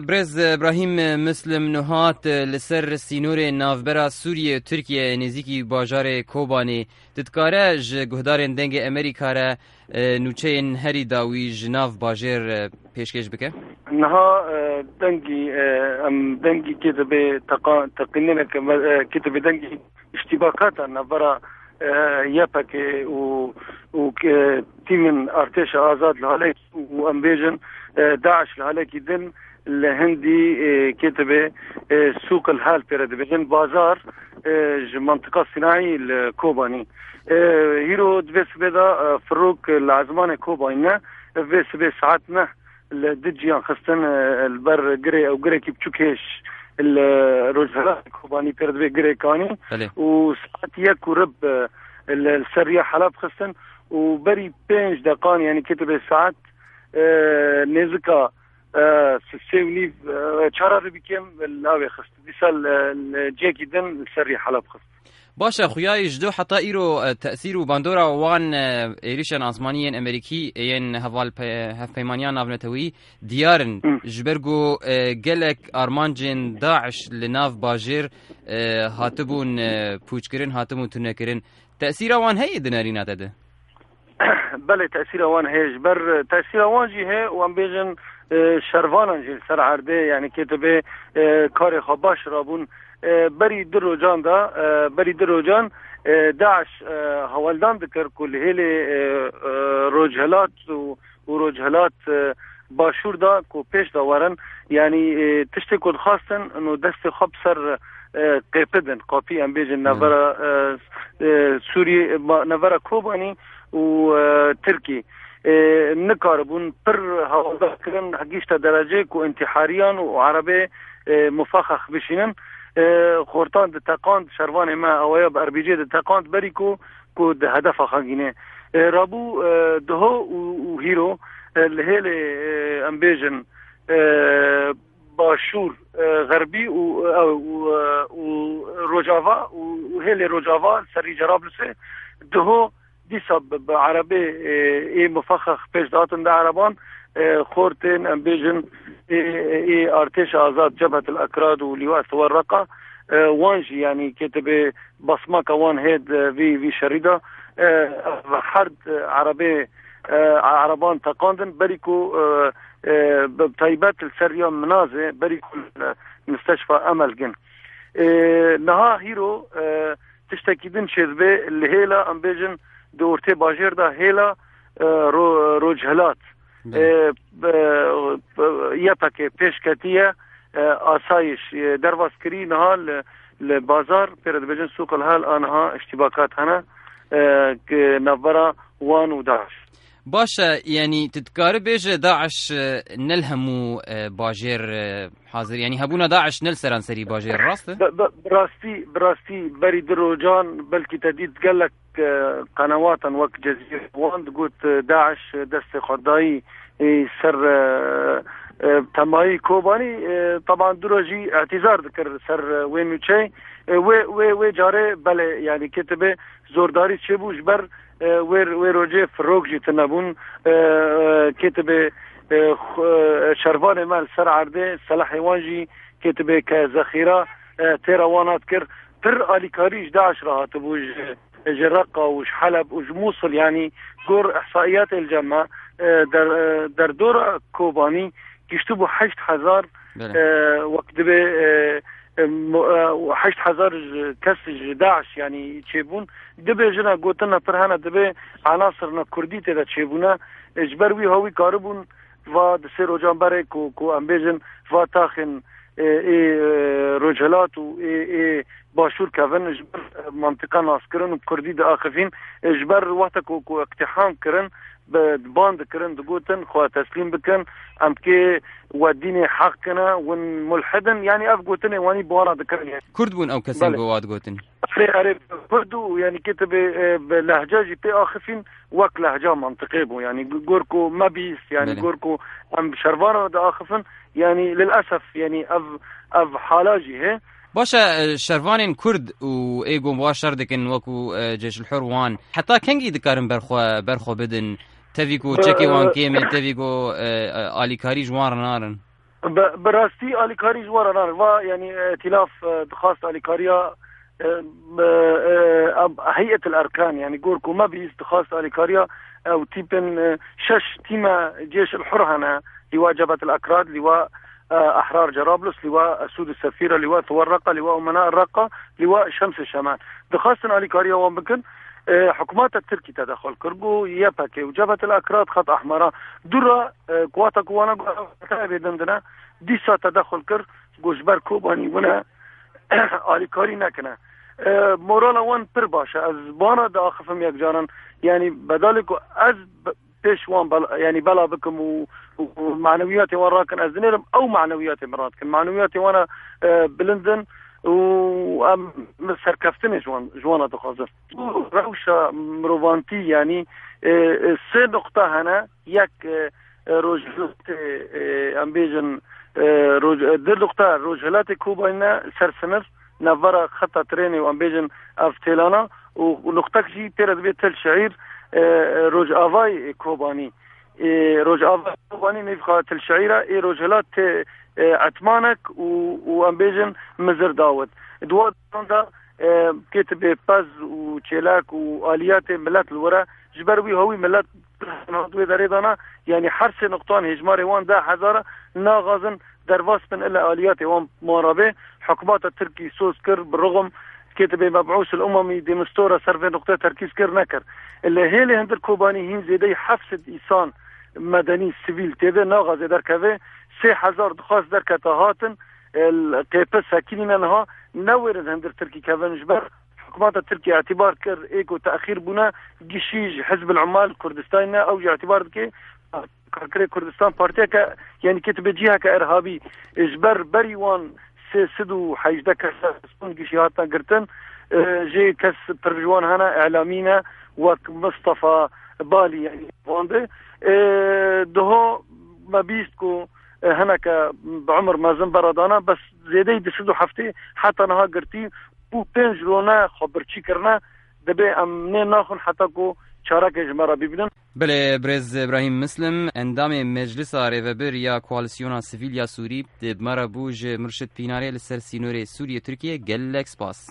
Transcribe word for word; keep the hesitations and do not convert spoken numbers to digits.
Birêz Îbrahîm Muslim Nuhat, li ser sînorê navbera Sûriyê û Tirkiyeyê nêzîkî bajarê Kobanê, tu dikare ji guhdarên Dengê Amerîka re, e, nûçeyên herî dawî ji nav bajêr, e, pêşkêş bike? Niha, e, dengî, e, em dengî kê dibê teqa-, teqînêneke me-, e, kê dibê dengî îştîbakata navbera, e, Y P G û, û, e, tîmên artêşa azad li halekî û em bêjin, e, DAIŞ li halekî din li hindî, e, kê dibê, e, sûq el hal pê re dibêjin, bazar, e, ji mantiqa sînayî li Kobanî. E, hîro di vê sibê de, e, firok li ezmanê Kobanî ne, vê sibê saet neh li du ciyan xistin, e, li ber girê ew girekî biçûk hêj li rojhilatê Kobanî pê re dibê girê Kanî Belê. Û saet yek û rib, e, li, li ser riya Heleb xistin û berî pênc deqan, yanî kê dibê saet, e, nêzika, e, sê û nîv, e, çar ribî kêm li awê xist. Dîsa li, li cihekî din li ser riya Heleb xist. Baş e, xuya ji do heta îro, e, tesîr û bandora wan, e, êrîşên asmanî yên Amerîkî, yên hevalpe-, hevpeymaniya navneteweyî diyar in. Hı. Ji ber ku, e, gelek armancên DAIŞ li nav bajêr, e, hatibûn, e, pûçkirin, hatibûn tunekirin. Tesîra wan heye di nerîna te de? Belê, tesîra wan heye. Ji ber, e, tesîra wan jî heye û em bêjin, e, şervanan jî li ser erdê, yanî kê dibê, e, karê xwe baş rabûn. E, berî du rojan de, e, berî du rojan, e, DAIŞ, e, hewldan dikir ku li hêlê, e, e, rojhilat û, û rojhilat, e, başûr de ku pêş de werin, yanî, e, tiştê ku dixwastin, no destê xwe bi ser, e, qêpidin, qapî em bêjin, navbera, e, e, Sûriyê, ma-, navbera Kobanî û, e, Tirkî. E, nikaribûn pir hewldan kirin, gihîşte dereceyê ku întîhariyan û erebê, e, mufexex bişînin. E, xortan diteqand, şervanê me awaya bi R B G diteqand, berî ku, ku di hedefa xwe gîne. E, rabû, e, diho û, û hîro, e, li hêlê, e, em bêjin, e, başûr, e, xerbî û, e, û, e, û rojava û, û hêlê rojava li serî Cerablusê diho dîsa bi, bi erebê, e, ê mufexex pêş dihatin di ereban, e, xortên, em bêjin, ê, ê artêşa azad, Cebhetul Ekrad û Lîwa Siwer Reqa, e, wan jî, yanî, kê dibê basmaka wan hê di vî, vî şerî de, e, ev her di erebê, e, ereban teqandin, berî ku, e, e, bi taybet li ser riya Minazê, berî ku li Misteşfa Emel gin. E, niha hîro, e, tiştekî din çêdibe li hêla, em bêjin, di ortê bajêr de hêla, e, ro-, rojhilat. Belê. E, e, e, Y P G pêş ketiye, e, asayîş, e, derbas kirî, niha li, li bazar, pê re dibêjin sûq el hal, a niha îştîbakat hene, e, ki navbera wan û DAIŞ. Baş e, yanî tu dikarî bêje DAIŞ, e, ne li hemû, e, bajêr, e, hazir, yanî hebûna DAIŞ ne li seranserî bajêr, rast e? Bi, bi, bi rastî, bi rastî berî du rojan belkî te dît gelek, e, qenewatan wek Cezîre wan digot, e, DAIŞ destê xwe dayî, e, ser, e, e, temayî Kobanî, e, teban du roj jî îtîzar dikir ser, e, wê nûçeyê. E, wê, wê, wê carê belê, yanî kê dibê zordarî çêbû ji ber, e, wê, wê rojê firok jî tune bûn. E, e, kê dibê, e, xu-, e, şervanê me li ser erdê, selehê wan jî kê dibê ke zexîra, e, têra wan hat kir. Pir alîkarî ji DAIŞ re hatibû, ji, ji Reqa û ji Heleb û ji Mûsil, yanî gor îhsaîyatê li cem me, e, der-, e, derdora Kobanî giştibû heşt hezar, Belê. e, wek dibê, e, e, mo-, e, heşt hezar ji kes ji DAIŞ, yanî çêbûn. Dibê jina gotina pir hene, dibê enasirina kurdî tê de çêbûne. E, ji ber wî hawî karibûn va di sê rojan berê ku, ku em bêjin va taxên, e, ê, e, rojhilat û ê, ê başûr kevin ji ber, e, mantiqa naskirin û kurdî diaxivîn, e, ji ber wexta ku, ku iqtîham kirin, bi, ban dikirin, digotin, xwe teslîm bikin, em kê we dînê heq kine, win mulhid in, yanî ev gotinê wanî bi wan re dikirin. Kurd bûn ew kesên Belê. ku wa digotin? Erê, erê, Kurd û, yanî kê tu bê, e, bi lehca jî pê axifîn, wek lehca mantiqê bû, yanî gor ku me bîst, yanî Belê. gor ku em şervana diaxifin, yanî lilesef, yanî ev, ev hala jî hê. Baş e, e, şervanên Kurd û ê ku wan şer dikin wekû, e, Ceyşulhur wan, heta kengî dikarin berxwe, berxwe bidin? Tevî ku çekê wan kêm e, tevî ku, e, e, alîkarî ji wan re narin? Bi, bi rastî alîkarî ji we re nare. Va, yanî, îtîlaf, e, dixwast alîkariya, e, bi, e, ab-, Heyet el Erkan, yanî gor ku me bîst dixwast alîkariya ew tîpin, e, şeş tîme Cêş el Hur hene, lîwa Cebhet el Akrad, lîwa, e, Ehrar Cerablus, lîwa Esûd el Sefîra, lîwa Thuwar Reqa, lîwa Umena el Reqa, lîwa Şems el Şemal. Dixwastin alîkariya wan bikin, e, hikûmeta Tirkî tedexul kir, got Y P G û Cebhet el Akrad xet ehmera. Dû re, e, kuwata ku wana got, bêdin dine, dîsa tedexul kir, got ji ber Kobanî wine alîkarî nekine. E, morala wan pir baş e. Ez bana diaxifim yek caran. Yanî bedalê ku ez be-, pêş wan bel-, yanî bela bikim û, û, û manewiyatê wan rakin, ez dinêrim ew manewiyatê min radikin. Manewiyatê wan e, e, bilind in û em serkeftinê ji wan, ji wan re dixwazin. Rewşa mirovantî, yanî, e, e, sê nuqta hene. Yek, e, e, rojhilatê, e, em bêjin, e, roj-, e, di nuqta rojhilatê Kobanî ne ser sinir, navbera xeta trênê û em bêjin ev têlana û nuqtek jî tê re dibê Til Şeîr, e, e, rojavayê Kobanî. E, rojavayê Kobanî nêvxa Til Şeîr e, ê rojhilat tê, e, Etmanek û, û em bêjin Mizir Dawid. Di wan de, e, kê tibê pez û çêlek û aliyatê milet li wir e. Ji ber wî hewî milet hat wê derê dana, yanî her sê nuqtan hêjmarê wan deh hezar e, naxazin derbas bin ile aliyatê wan mara bê. Hikûmeta Tirkî soz kir, bi rixm kê tibê Mebûs el Umemî de Mistura ser vê nuqtê terkîz kir, nekir. Li hêlê hindir Kobanî hîn zêdeyî heft sed îsan medenî, sivîl tê de naxazê derkeve. Sê hezar dixwast derkete hatin, e, qêpil sekinîne niha newêrin hindir Tirkî kevin ji ber hikûmeta Tirkî îtîbar kir, ê ku texîr bûne, gişî ji Hizb el Ummal Kurdistanê ne, ew jî îtîbar dike Karkerê Kurdistan partiyeke, yanî kê tibê ciheke irhabî, ji ber berî wan sê sed û hejdeh kes destûn gişî hatine girtin, e, jê kes pir ji wan hene, îlamî ne, wek Mistefa Balî, yanî van de. E, diho me bîst ku, e, hineke bi umir mezin beradana, bes zêdeyî du sed û heftê heta niha girtî û pênc rone xwe birçî kirine, dibê em nê naxwin heta ku çarekê ji me re bibînin. Belê, birêz Îbrahîm Mislim, endamê Meclisa Rêvebir ya Koalîsyona Sivîl ya Sûrî, bi me re bû. Ji Mirşid Pînarê li ser sînorê Sûriye-Tirkiye gelek spas.